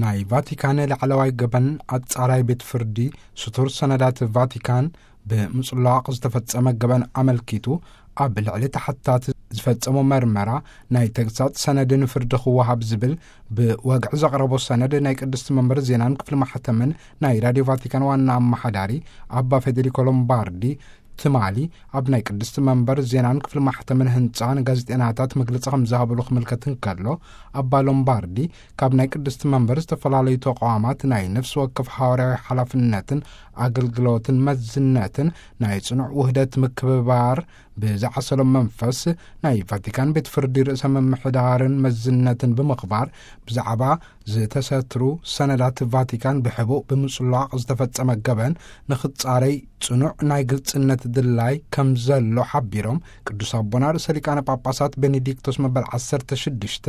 ናይ ቫቲካን ላዕለዋይ ገበን ኣጻራይ ቤት ፍርዲ፣ ስቱር ሰነዳት ቫቲካን ብምጽላቕ ዝተፈጸመ ገበን ኣመልኪቱ፣ ኣብ ልዕሊ ተሓታት ዝፈጸሞ መርመራ ናይ ተግሳጽ ሰነድን ፍርዲ ክወሃብ ዝብል ብወግዒ ዘቕረቦ ሰነድ፣ ናይ ቅድስቲ መንበር ዜናን ክፍሊ ማሕተምን ናይ ራድዮ ቫቲካን ዋና ኣመሓዳሪ ኣባ ፌዴሪኮ ሎምባርዲ ትማሊ ኣብ ናይ ቅድስቲ መንበር ዜናን ክፍሊ ማሕተምን ህንጻ ንጋዜጠናታት መግለጺ ከም ዝሃብሉ ክምልከት እንከሎ፣ ኣባ ሎምባርዲ ካብ ናይ ቅድስቲ መንበር ዝተፈላለዩ ተቋማት ናይ ነፍሲ ወከፍ ሃዋርያዊ ሓላፍነትን ኣገልግሎትን መዝነትን ናይ ጽኑዕ ውህደት ምክብባር ብዝዓሰሎ መንፈስ፣ ናይ ቫቲካን ቤት ፍርዲ ርእሰ ምምሕዳርን መዝነትን ብምኽባር፣ ብዛዕባ ዝተሰትሩ ሰነዳት ቫቲካን ብሕቡእ ብምጽላቕ ዝተፈጸመ ገበን ንኽጻረይ ጽኑዕ ናይ ግልጽነት ድላይ ከም ዘሎ ሓቢሮም፣ ቅዱስ ኣቦና ርእሰ ሊቃነ ጳጳሳት ቤኔዲክቶስ መበል ዓሰርተ ሽዱሽተ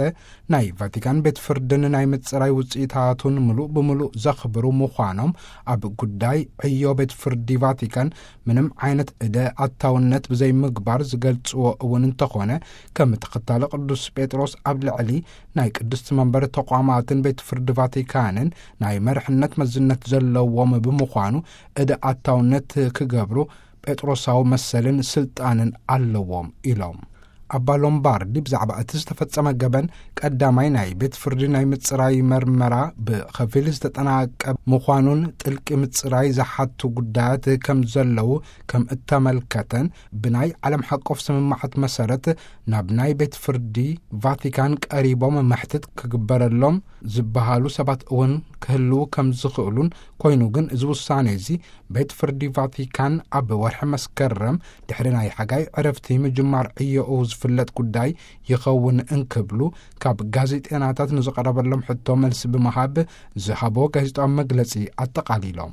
ናይ ቫቲካን ቤት ፍርድን ናይ ምጽራይ ውጽኢታቱን ምሉእ ብምሉእ ዘኽብሩ ምዃኖም፣ ኣብ ጉዳይ ዕዮ ቤት ፍርዲ ቫቲካን ምንም ዓይነት እደ ኣታውነት ብዘይምግባር ዝገልጽዎ እውን እንተኾነ፣ ከም ተኸታሊ ቅዱስ ጴጥሮስ ኣብ ልዕሊ ናይ ቅድስቲ መንበር ተቋማትን ቤት ፍርዲ ቫቲካንን ናይ መርሕነት መዝነት ዘለዎም ብምዃኑ፣ እደ ኣታውነት ክገብሩ ጴጥሮሳዊ መሰልን ስልጣንን ኣለዎም ኢሎም። ኣባ ሎምባርዲ ብዛዕባ እቲ ዝተፈጸመ ገበን፣ ቀዳማይ ናይ ቤት ፍርዲ ናይ ምጽራይ መርመራ ብኸፊል ዝተጠናቀ ምዃኑን ጥልቂ ምጽራይ ዝሓቱ ጉዳያት ከም ዘለዉ ከም እተመልከተን፣ ብናይ ዓለም ሓቆፍ ስምምዓት መሰረት ናብ ናይ ቤት ፍርዲ ቫቲካን ቀሪቦም መሕትት ክግበረሎም ዝበሃሉ ሰባት እውን ክህልዉ ከም ዝኽእሉን፣ ኮይኑ ግን እዚ ውሳኔ እዚ ቤት ፍርዲ ቫቲካን ኣብ ወርሒ መስከረም ድሕሪ ናይ ሓጋይ ዕረፍቲ ምጅማር ዕዮኡ ዝፍለጥ ጉዳይ ይኸውን እንክብሉ፣ ካብ ጋዜጠናታት ንዝቐረበሎም ሕቶ መልሲ ብምሃብ ዝሃቦ ጋዜጣዊ መግለጺ ኣጠቓሊሎም።